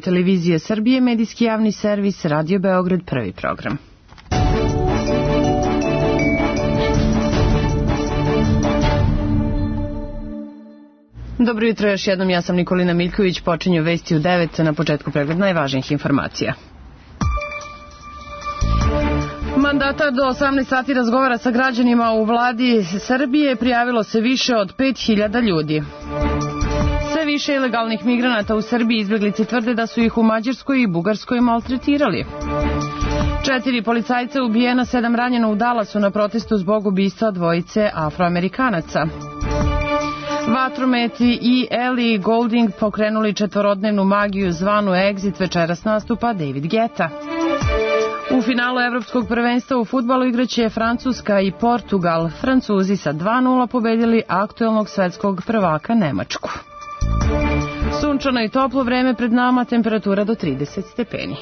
televizije Srbije, medijski javni servis, Radio Beograd, prvi program. Dobro jutro, još jednom, ja sam Nikolina Miljković, počinju vesti u 9, na početku pregled najvažnijih informacija. Mandatar do 18 sati razgovara sa građanima u vladi Srbije, prijavilo se više od 5000 ljudi. Sve više ilegalnih migranata u Srbiji, izbeglice tvrde da su ih u Mađarskoj i Bugarskoj maltretirali. 4 policajca ubijena, 7 ranjeno u Dallasu na protestu zbog ubistva dvojice Afroamerikanaca. Vatrometi i Ellie Goulding pokrenuli četvorodnevnu magiju zvanu Exit, večeras nastupa David Guetta. U finalu evropskog prvenstva u fudbalu igraće Francuska i Portugal. Francuzi sa 2:0 pobedili aktuelnog svetskog prvaka Nemačku. Sunčano i toplo vreme pred nama, temperatura do 30 stepeni.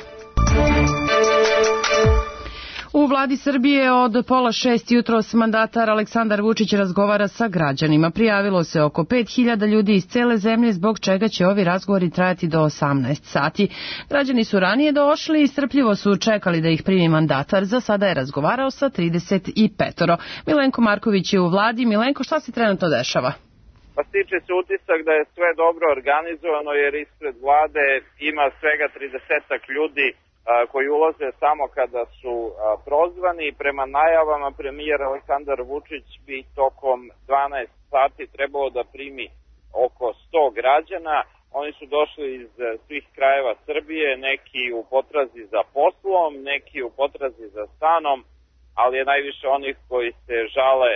U vladi Srbije od 5:30 jutros mandatar Aleksandar Vučić razgovara sa građanima. Prijavilo se oko 5000 ljudi iz cele zemlje, zbog čega će ovi razgovori trajati do 18 sati. Građani su ranije došli i strpljivo su čekali da ih primi mandatar. Za sada je razgovarao sa 35. Milenko Marković je u vladi. Milenko, šta se trenutno dešava? Pa stiče se utisak da je sve dobro organizovano, jer ispred vlade ima svega 30 ljudi koji ulaze samo kada su prozvani. Prema najavama premijer Aleksandar Vučić bi tokom 12 sati trebalo da primi oko 100 građana. Oni su došli iz svih krajeva Srbije, neki u potrazi za poslom, neki u potrazi za stanom, ali je najviše onih koji se žale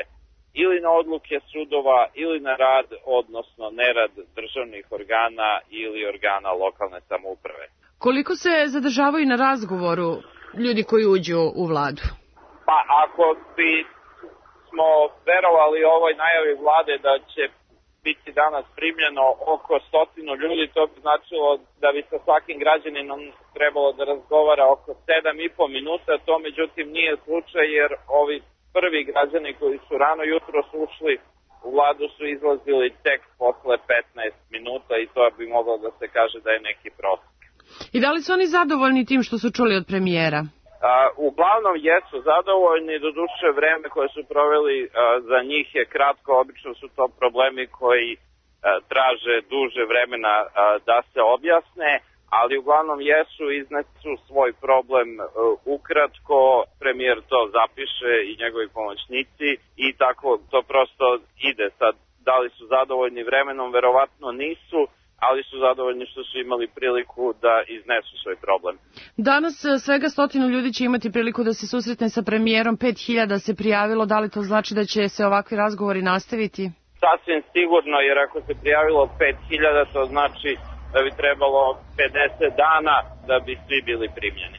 ili na odluke sudova ili na rad, odnosno nerad državnih organa ili organa lokalne samouprave. Koliko se zadržavaju na razgovoru ljudi koji uđu u vladu? Pa ako smo verovali ovoj najavi vlade da će biti danas primljeno oko 100 ljudi, to bi značilo da bi sa svakim građaninom trebalo da razgovara oko 7,5 minuta. To međutim nije slučaj, jer ovi prvi građani koji su rano jutro ušli u vladu su izlazili tek posle 15 minuta i to bi moglo da se kaže da je neki prosek. I da li su oni zadovoljni tim što su čuli od premijera? Uglavnom jesu zadovoljni, doduše vreme koje su proveli za njih je kratko, obično su to problemi koji traže duže vremena da se objasne, ali uglavnom jesu, iznesu svoj problem ukratko, premijer to zapiše i njegovi pomoćnici i tako to prosto ide. Sad, da li su zadovoljni vremenom, verovatno nisu, ali su zadovoljni što su imali priliku da iznesu svoj problem. Danas svega 100 ljudi će imati priliku da se susretne sa premijerom, 5000 se prijavilo, da li to znači da će se ovakvi razgovori nastaviti? Sasvim sigurno, jer ako se prijavilo 5000, to znači da bi trebalo 50 dana da bi svi bili primljeni.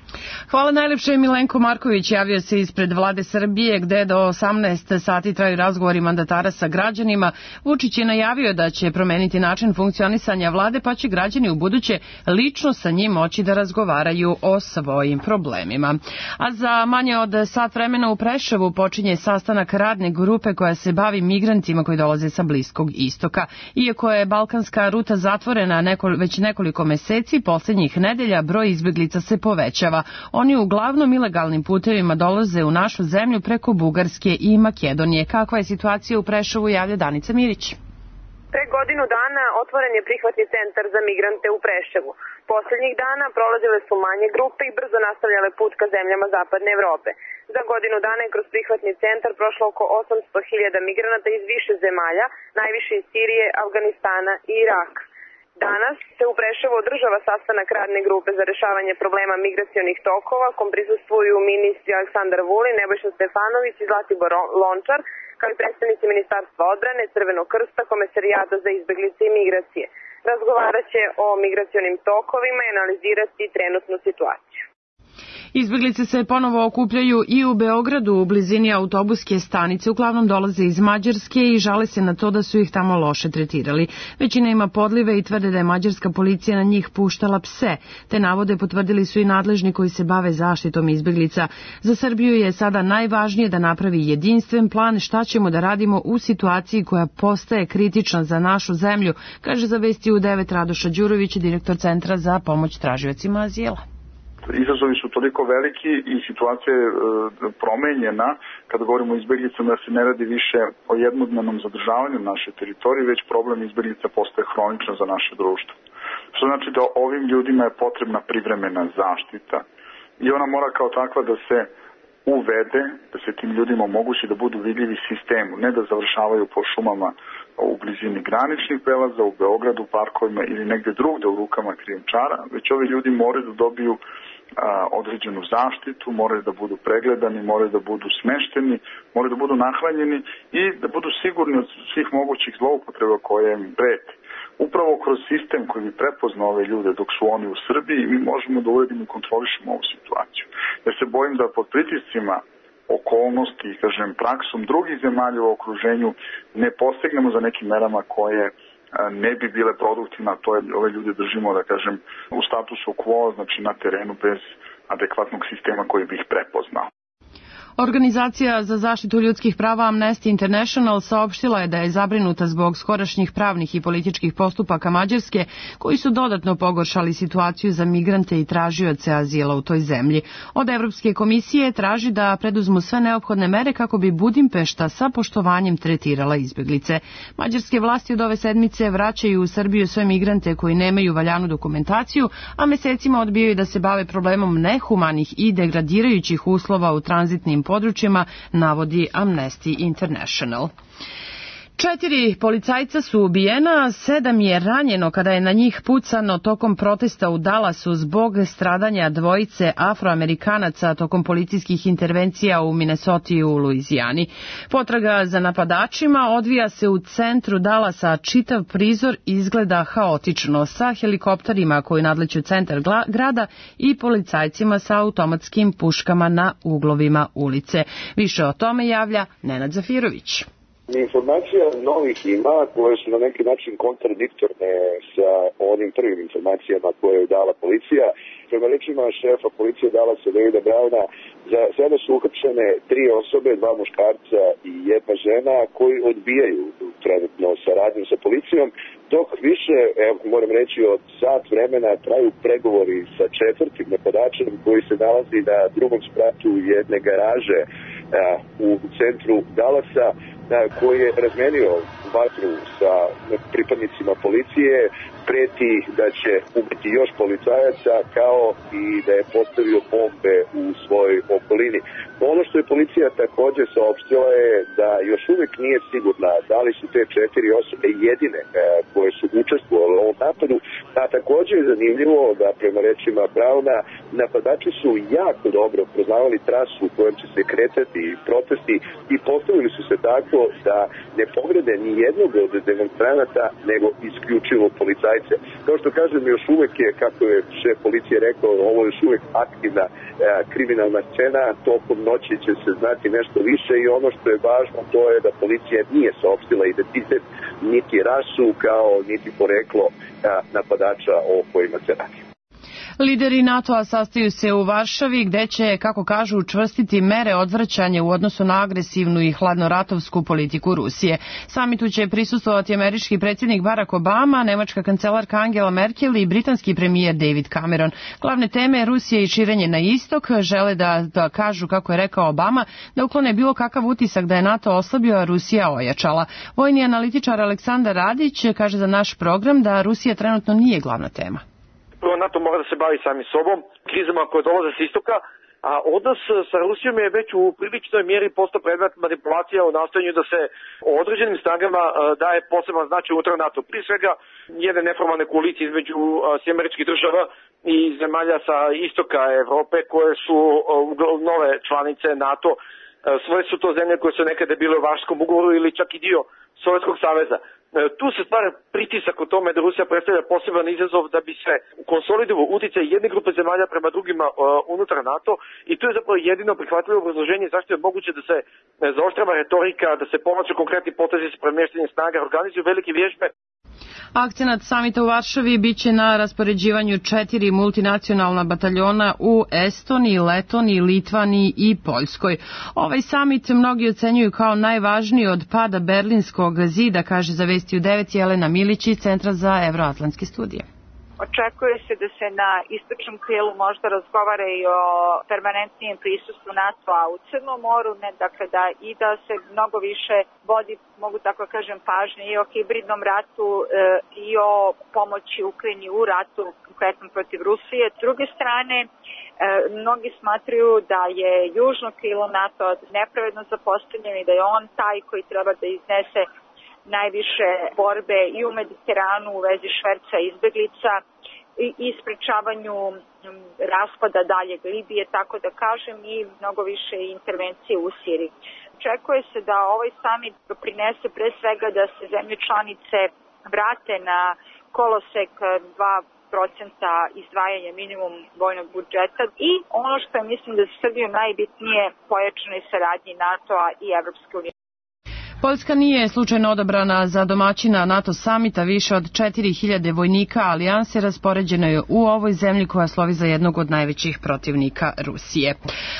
Hvala najlepše. Milenko Marković javio se ispred vlade Srbije, gde do 18 sati traju razgovori mandatara sa građanima. Vučić je najavio da će promeniti način funkcionisanja vlade, pa će građani u buduće lično sa njim moći da razgovaraju o svojim problemima. A za manje od sat vremena u Preševu počinje sastanak radne grupe koja se bavi migrantima koji dolaze sa Bliskog istoka. Iako je balkanska ruta zatvorena već nekoliko meseci, poslednjih nedelja broj izbeglica se povećava. Oni uglavnom ilegalnim putevima dolaze u našu zemlju preko Bugarske i Makedonije. Kakva je situacija u Preševu, javlja Danica Mirić. Pre godinu dana otvoren je prihvatni centar za migrante u Preševu. Poslednjih dana prolazile su manje grupe i brzo nastavljale put ka zemljama zapadne Evrope. Za godinu dana je kroz prihvatni centar prošlo oko 800.000 migranata iz više zemalja, najviše iz Sirije, Afganistana i Iraka. Danas se u Preševu održava sastanak radne grupe za rešavanje problema migracionih tokova, kom prisustvuju ministri Aleksandar Vulin, Nebojša Stefanović i Zlatibor Lončar, kao i predstavnici Ministarstva odbrane, Crvenog krsta, Komesarijata za izbeglice i migracije. Razgovarat će o migracionim tokovima i analizirati trenutnu situaciju. Izbeglice se ponovo okupljaju i u Beogradu u blizini autobuske stanice. Uglavnom dolaze iz Mađarske i žale se na to da su ih tamo loše tretirali. Većina ima podlive i tvrde da je mađarska policija na njih puštala pse. Te navode potvrdili su i nadležni koji se bave zaštitom izbeglica. Za Srbiju je sada najvažnije da napravi jedinstven plan šta ćemo da radimo u situaciji koja postaje kritična za našu zemlju, kaže za Vesti u 9 Radoša Đurović, direktor Centra za pomoć tražiocima azila. Izazovi su toliko veliki i situacija je promenjena kada govorimo o izbeglicama da se ne radi više o jednodnevnom zadržavanju naše teritorije, već problem izbeglica postaje hroničan za naše društvo. Što znači da ovim ljudima je potrebna privremena zaštita i ona mora kao takva da se uvede, da se tim ljudima omogući da budu vidljivi sistemu, ne da završavaju po šumama u blizini graničnih prelaza, u Beogradu, parkovima ili negde drugde u rukama krijumčara, već ovi ljudi moraju da dobiju određenu zaštitu, moraju da budu pregledani, moraju da budu smešteni, moraju da budu nahranjeni i da budu sigurni od svih mogućih zloupotreba koje im prete. Upravo kroz sistem koji bi prepoznao ove ljude dok su oni u Srbiji, mi možemo da uredimo i kontrolišemo ovu situaciju. Ja se bojim da pod pritiscima okolnosti, kažem, praksom drugih zemalja u okruženju ne postignemo za nekim merama koje ne bi bile produktivne, a to je ove ljude držimo, da kažem, u statusu quo, znači na terenu bez adekvatnog sistema koji bi ih prepoznao. Organizacija za zaštitu ljudskih prava Amnesty International saopštila je da je zabrinuta zbog skorašnjih pravnih i političkih postupaka Mađarske koji su dodatno pogoršali situaciju za migrante i tražioce azila u toj zemlji. Od Evropske komisije traži da preduzmu sve neophodne mere kako bi Budimpešta sa poštovanjem tretirala izbeglice. Mađarske vlasti od ove sedmice vraćaju u Srbiju sve migrante koji nemaju valjanu dokumentaciju, a mesecima odbijaju da se bave problemom nehumanih i degradirajućih uslova u tranzitnim područjima, navodi Amnesty International. 4 policajca su ubijena, 7 je ranjeno kada je na njih pucano tokom protesta u Dallasu zbog stradanja dvojice Afroamerikanaca tokom policijskih intervencija u Minnesoti i u Luizijani. Potraga za napadačima odvija se u centru Dallasa, čitav prizor izgleda haotično sa helikopterima koji nadleću centar grada i policajcima sa automatskim puškama na uglovima ulice. Više o tome javlja Nenad Zafirović. Informacija novih ima koje su na neki način kontradiktorne sa onim prvim informacijama koje je dala policija. Prema rečima šefa policije Dallasa Davida Browna, za sada su uhapšene 3 osobe, 2 muškarca i 1 žena koji odbijaju trenutno saradnju sa policijom, dok više, moram reći, od sat vremena traju pregovori sa 4. napadačem koji se nalazi na 2. spratu jedne garaže u centru Dallasa, koji je razmenio vatru sa pripadnicima policije, preti da će ubiti još policajaca, kao i da je postavio bombe u svojoj okolini. Ono što je policija također saopštila je da još uvijek nije sigurna da li su te 4 osobe jedine koje su učestvovale u ovom napadu, a također je zanimljivo da prema rečima Browna napadači su jako dobro poznavali trasu u kojom će se kretati protesti i postavili su se tako da ne pogrede ni jednog od demonstranata, nego isključivo policajce. Kao što kažem, još uvijek je, kako je šef policije rekao, ovo je još uvijek aktivna kriminalna scena, tokom noći će se znati nešto više i ono što je važno to je da policija nije saopštila identitet niti rasu kao niti poreklo napadača o kojima se radi. Lideri NATO-a sastaju se u Varšavi gde će, kako kažu, učvrstiti mere odvraćanja u odnosu na agresivnu i hladnoratovsku politiku Rusije. Samitu će prisustvovati američki predsjednik Barack Obama, nemačka kancelarka Angela Merkel i britanski premijer David Cameron. Glavne teme Rusije i širenje na istok žele da kažu, kako je rekao Obama, da uklone bilo kakav utisak da je NATO oslabio, a Rusija ojačala. Vojni analitičar Aleksandar Radić kaže za naš program da Rusija trenutno nije glavna tema. Prvo, NATO mora da se bavi sami sobom, krizama koje dolaze s istoka, a odnos sa Rusijom je već u priličnoj mjeri postao predmet manipulacija u nastojanju da se o određenim snagama daje poseban značaj unutar NATO. Prije svega, jedne neformalne koalicije između Američkih država i zemalja sa istoka Evrope koje su nove članice NATO. Svoje su to zemlje koje su nekada bile u Varšavskom ugovoru ili čak i dio Sovjetskog saveza. Tu se stvara pritisak u tome da Rusija predstavlja poseban izazov da bi se konsolidovao uticaj jedne grupe zemalja prema drugima unutar NATO i to je zapravo jedino prihvatljivo obrazloženje zašto je moguće da se zaoštrava retorika, da se povlače konkretni potezi sa premještanjem snaga, organizuju velike vježbe. Akcenat samita u Varšavi biće na raspoređivanju 4 multinacionalna bataljona u Estoniji, Letoniji, Litvaniji i Poljskoj. Ovaj samit mnogi ocenjuju kao najvažniji od pada Berlinskog zida, kaže za Vesti u 9 Jelena Milić iz Centra za evroatlantske studije. Očekuje se da se na istočnom krilu možda razgovara i o permanentnijem prisustvu NATO-a u Crnom moru, da se mnogo više vodi, mogu tako kažem, pažnje i o hibridnom ratu i o pomoći Ukrajini u ratu, konkretno protiv Rusije. S druge strane, mnogi smatraju da je južno krilo NATO nepravedno zapostavljeno i da je on taj koji treba da iznese najviše borbe i u Mediteranu u vezi šverca izbeglica i sprečavanju raspada daljeg Libije, tako da kažem, i mnogo više intervencije u Siriji. Očekuje se da ovaj samit doprinese pre svega da se zemlje članice vrate na kolosek 2% izdvajanja minimum vojnog budžeta i ono što je, mislim, da za Srbiju najbitnije, pojačanoj saradnji NATO-a i Evropske unije. Poljska nije slučajno odabrana za domaćina NATO samita, više od 4000 vojnika alijanse raspoređeno je u ovoj zemlji koja slovi za jednog od najvećih protivnika Rusije.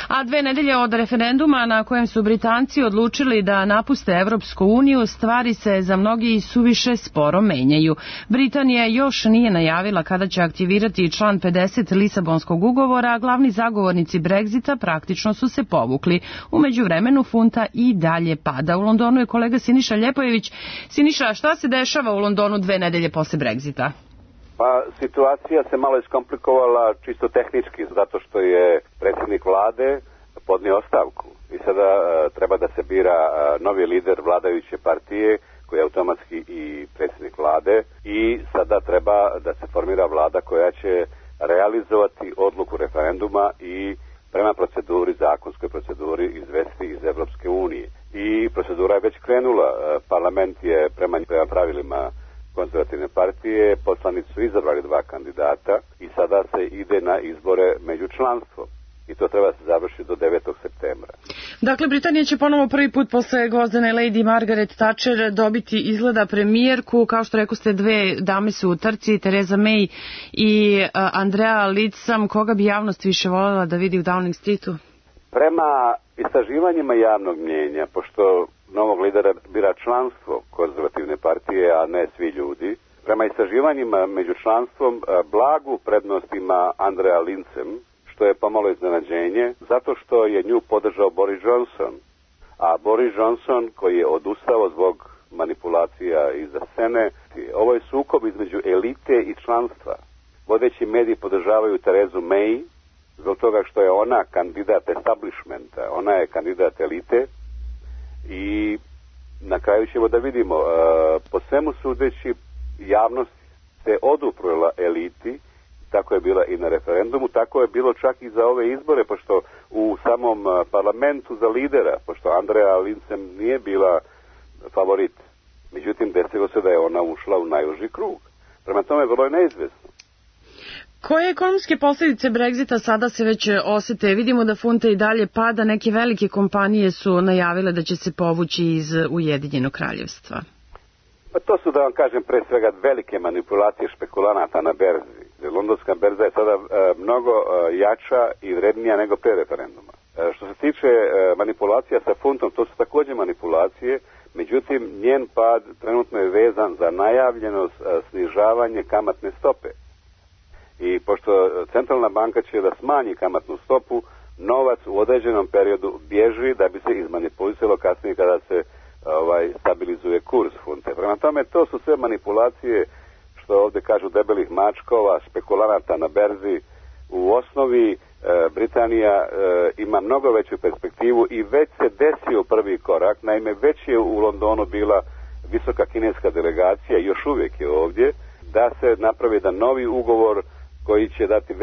A 2 nedelje od referenduma na kojem su Britanci odlučili da napuste Evropsku uniju, stvari se za mnogi suviše sporo menjaju. Britanija još nije najavila kada će aktivirati član 50 Lisabonskog ugovora, a glavni zagovornici Brexita praktično su se povukli. U međuvremenu funta i dalje pada. U Londonu je kolega Siniša Ljepojević. Siniša, šta se dešava u Londonu 2 nedelje posle Brexita? Pa situacija se malo iskomplikovala čisto tehnički, zato što je predsjednik vlade podnio ostavku i sada treba da se bira novi lider vladajuće partije koji je automatski i predsjednik vlade i sada treba da se formira vlada koja će realizovati odluku referenduma i prema proceduri, zakonskoj proceduri izvesti iz Evropske unije. I procedura je već krenula. Parlament je prema pravilima konzervativne partije, poslanici su izabrali 2 kandidata i sada se ide na izbore među članstvom. I to treba se završiti do 9. septembra. Dakle, Britanija će ponovo prvi put posle gvozdene Lady Margaret Thatcher dobiti izgleda premijerku. Kao što rekao ste, 2 dame su u trci, Theresa May i Andrea Leadsom. Koga bi javnost više voljela da vidi u Downing Streetu? Prema istraživanjima javnog mnjenja, pošto novog lidera bira članstvo konzervativne partije, a ne svi ljudi, prema istraživanjima među članstvom blagu prednost ima Andrea Leadsom, što je pomalo iznenađenje, zato što je nju podržao Boris Johnson. A Boris Johnson, koji je odustao zbog manipulacija iza scene, ovo je sukob između elite i članstva. Vodeći mediji podržavaju Terezu May, zbog toga što je ona kandidat establishmenta, ona je kandidat elite i na kraju ćemo da vidimo, po svemu sudeći javnost se oduprla eliti, tako je bila i na referendumu, tako je bilo čak i za ove izbore, pošto u samom parlamentu za lidera, pošto Andrea Leadsom nije bila favorit, međutim desilo se da je ona ušla u najuži krug. Prema tome vrlo je neizvesno. Koje ekonomske posljedice Brexita sada se već osete? Vidimo da funta i dalje pada, neke velike kompanije su najavile da će se povući iz Ujedinjenog kraljevstva. Pa to su, da vam kažem, pre svega velike manipulacije špekulanata na berzi. Londonska berza je sada mnogo jača i vrednija nego pre referenduma. Što se tiče manipulacija sa funtom, to su također manipulacije, međutim njen pad trenutno je vezan za najavljeno snižavanje kamatne stope. I pošto centralna banka će da smanji kamatnu stopu, novac u određenom periodu bježi da bi se izmanipulisalo kasnije kada se stabilizuje kurs funte. Prema tome, to su sve manipulacije, što ovdje kažu, debelih mačkova, špekulanata na berzi. U osnovi Britanija ima mnogo veću perspektivu i već se desio prvi korak. Naime, već je u Londonu bila visoka kineska delegacija, još uvijek je ovdje, da se napravi jedan novi ugovor koji će dati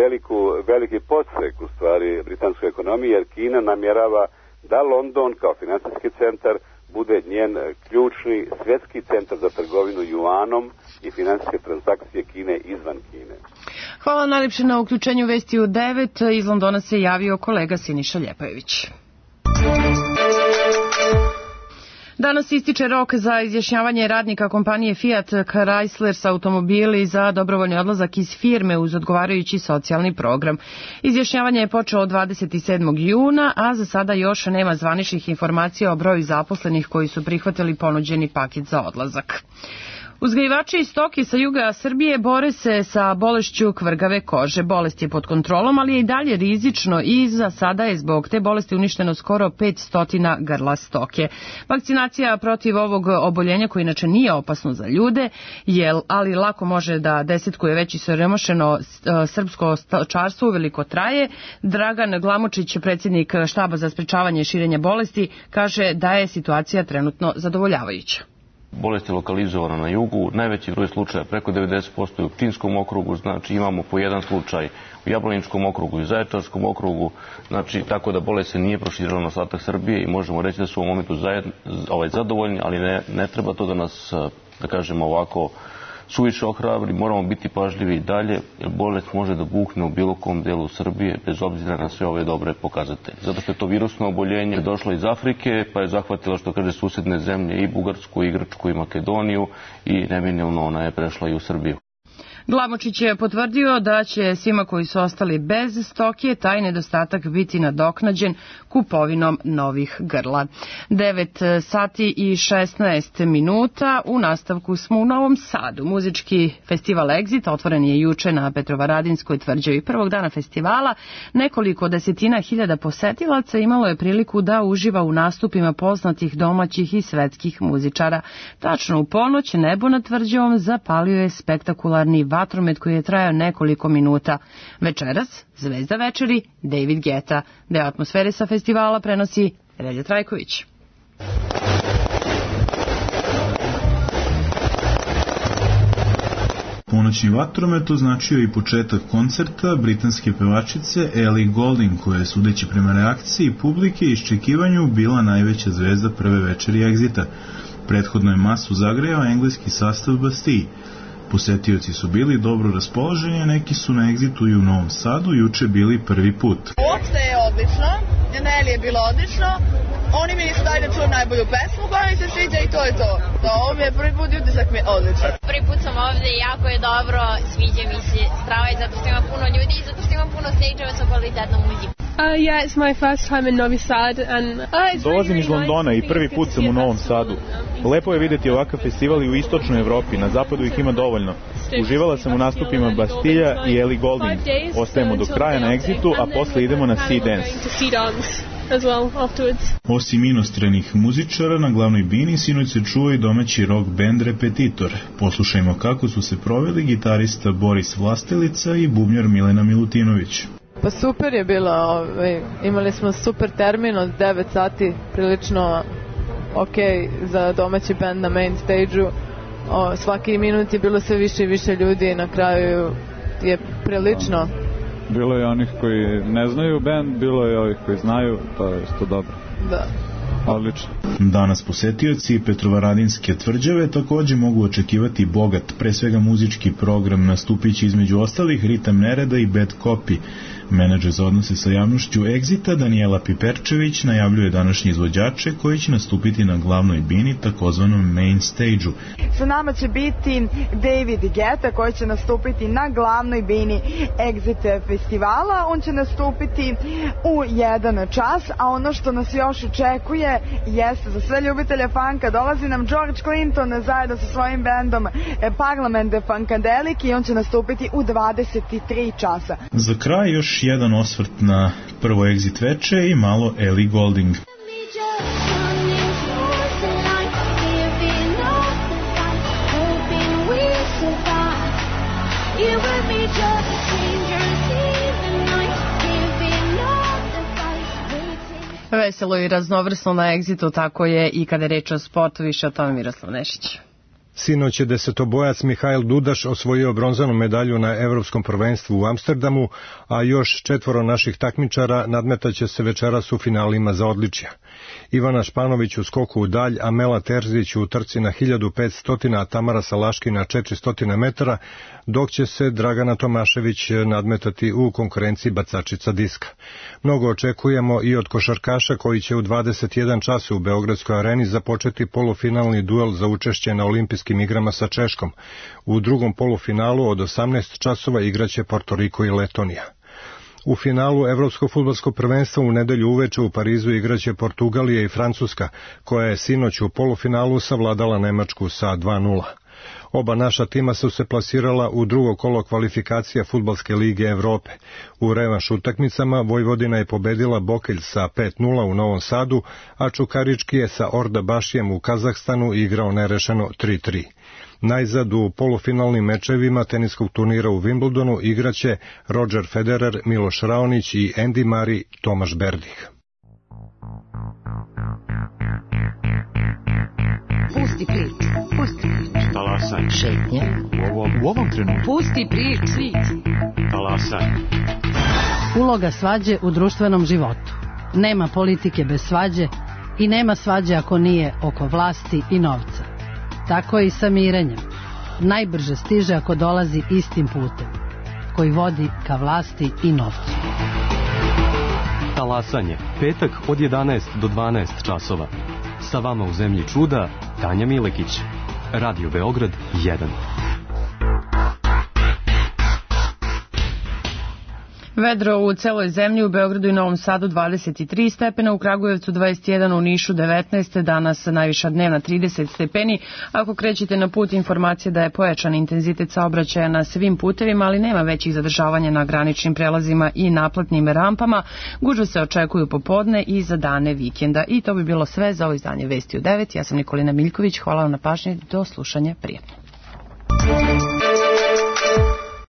veliki podstrek u stvari britanskoj ekonomiji, jer Kina namjerava da London kao financijski centar bude njen ključni svjetski centar za trgovinu juanom i finansijske transakcije Kine izvan Kine. Hvala najljepše na uključenju vesti u 9. Iz Londona se javio kolega Siniša Ljepajević. Danas ističe rok za izjašnjavanje radnika kompanije Fiat Chrysler sa automobili za dobrovoljni odlazak iz firme uz odgovarajući socijalni program. Izjašnjavanje je počelo od 27. juna, a za sada još nema zvaničnih informacija o broju zaposlenih koji su prihvatili ponuđeni paket za odlazak. Uzgajivači iz stoke sa juga Srbije bore se sa bolešću kvrgave kože. Bolest je pod kontrolom, ali je i dalje rizično i za sada je zbog te bolesti uništeno skoro 500 grla stoke. Vakcinacija protiv ovog oboljenja, koje inače nije opasno za ljude, ali lako može da desetkuje već i siromašeno srpsko stočarstvo, uveliko traje. Dragan Glamočić, predsjednik štaba za sprečavanje širenja bolesti, kaže da je situacija trenutno zadovoljavajuća. Bolest je lokalizovana na jugu, najveći broj slučaja, preko 90% je u Pčinjskom okrugu, znači imamo po jedan slučaj u Jablaničkom okrugu i Zaječarskom okrugu, znači tako da bolest se nije proširila na ostatak Srbije i možemo reći da su u momentu zadovoljni, ali ne treba to da nas, da kažemo ovako, suviše ohrabri, moramo biti pažljivi i dalje, jer bolest može da bukne u bilo kom delu Srbije, bez obzira na sve ove dobre pokazatelje. Zato što je to virusno oboljenje došlo iz Afrike, pa je zahvatilo, što kaže, susedne zemlje, i Bugarsku, i Grčku, i Makedoniju, i neminovno ona je prešla i u Srbiju. Glamočić je potvrdio da će svima koji su ostali bez stoke taj nedostatak biti nadoknađen kupovinom novih grla. 9 sati i 16 minuta. U nastavku smo u Novom Sadu. Muzički festival Exit otvoren je juče na Petrovaradinskoj tvrđavi. Prvog dana festivala nekoliko desetina hiljada posetilaca imalo je priliku da uživa u nastupima poznatih domaćih i svetskih muzičara. Tačno u ponoć nebo nad tvrđavom zapalio je spektakularni vatromet koji je trajao nekoliko minuta. Večeras, zvezda večeri, David Guetta. Deo atmosfere sa festivala prenosi Relja Trajković. Ponoćni vatromet označio i početak koncerta britanske pevačice Ellie Goulding, koja je, sudeći prema reakciji publike i iščekivanju, bila najveća zvezda prve večeri Exita. Prethodno je masu zagrejao engleski sastav Bastille. Posetioci su bili dobro raspoloženi, a neki su na Exitu i u Novom Sadu juče bili prvi put. Uopšte je odlično, Nelly je bilo odlično, oni mi nisu dali da čujem najbolju pesmu koja mi se sviđa i to je to. Ovo mi je prvi put i utisak mi je odličan. Prvi put sam ovde i jako je dobro, sviđa mi se strava je zato što ima puno ljudi i zato što ima puno stage-ova sa kvalitetnom muzikom. Yeah, it's my first time in Novi Sad and Dolazim iz Londona i prvi put sam u Novom Sadu. Lepo je vidjeti ovakav festival i u istočnoj Evropi, na zapadu ih ima dovoljno. Uživala sam u nastupima Bastille i Ellie Goulding. Ostajemo do kraja na Exitu, a posle idemo na Sea Dance. Osim inostranih muzičara, na glavnoj bini sinoć se čuo i domaći rock band Repetitor. Poslušajmo kako su se proveli gitarista Boris Vlastelica i bubnjar Milena Milutinović. Pa super je bilo, imali smo super termin od 9 sati, prilično ok za domaći band na main stage-u. Svaki minut je bilo sve više i više ljudi i na kraju je prilično. Bilo je onih koji ne znaju band, bilo je ovih koji znaju, to je isto dobro. Da. Odlično. Danas posetioci Petrovaradinske tvrđave takođe mogu očekivati bogat, pre svega muzički program, nastupići između ostalih Ritam Nereda i Bad Copy. Menadžer za odnose sa javnošću Exita Danijela Piperčević najavljuje današnje izvođače koji će nastupiti na glavnoj bini, takozvanom main stage-u. Sa nama će biti David Guetta koji će nastupiti na glavnoj bini Exit festivala. On će nastupiti u 1 čas, a ono što nas još očekuje jeste za sve ljubitelje funka. Dolazi nam George Clinton zajedno sa svojim bandom Parliament Funkadelic i on će nastupiti u 23 časa. Za kraj još jedan osvrt na prvo Exit veče i malo Ellie Goulding. Veselo i raznovrsno na Exitu, tako je i kada je reč o sportu, više o tome Miroslav Nešić. Sinoć je desetobojac Mihajl Dudaš osvojio bronzanu medalju na Evropskom prvenstvu u Amsterdamu, a još 4 naših takmičara nadmetaće se večeras u finalima za odličja. Ivana Španović u skoku u dalj, Amela Terzić u trci na 1500, a Tamara Salaški na 400 metara, dok će se Dragana Tomašević nadmetati u konkurenciji bacačica diska. Mnogo očekujemo i od košarkaša koji će u 21 čas u Beogradskoj areni započeti polufinalni duel za učešće na olimpijskim igrama sa Češkom. U drugom polufinalu od 18 časova igraće Porto Riko i Letonija. U finalu Evropskog fudbalskog prvenstva u nedelju uveče u Parizu igraće Portugalija i Francuska, koja je sinoć u polufinalu savladala Nemačku sa 2:0. Oba naša tima su se plasirala u drugo kolo kvalifikacija Fudbalske lige Evrope. U revanš utakmicama Vojvodina je pobedila Bokelj sa 5:0 u Novom Sadu, a Čukarički je sa Orda Bašijem u Kazahstanu igrao nerešeno 3:3. Najzad u polufinalnim mečevima teniskog turnira u Wimbledonu igraće Roger Federer, Miloš Raonić i Andy Murray, Tomaš Berdih. Pusti priču, pusti priču. Talasaj. Šetnja. U ovom trenutku. Pusti priču. Talasaj. Uloga svađe u društvenom životu. Nema politike bez svađe i nema svađe ako nije oko vlasti i novca. Tako je i sa mirenjem. Najbrže stiže ako dolazi istim putem, koji vodi ka vlasti i novcu. Talasanje, petak od 11 do 12 časova. Sa vama u zemlji čuda, Tanja Milekić. Radio Beograd 1. Vedro u celoj zemlji, u Beogradu i Novom Sadu 23 stepena, u Kragujevcu 21, u Nišu 19, danas najviša dnevna 30 stepeni. Ako krećete na put, informacija da je pojačan intenzitet saobraćaja na svim putevima, ali nema većih zadržavanja na graničnim prelazima i naplatnim rampama. Gužve se očekuju popodne i za dane vikenda. I to bi bilo sve za ovo izdanje Vesti u 9. Ja sam Nikolina Miljković, hvala vam na pažnji, do slušanja, prijatno.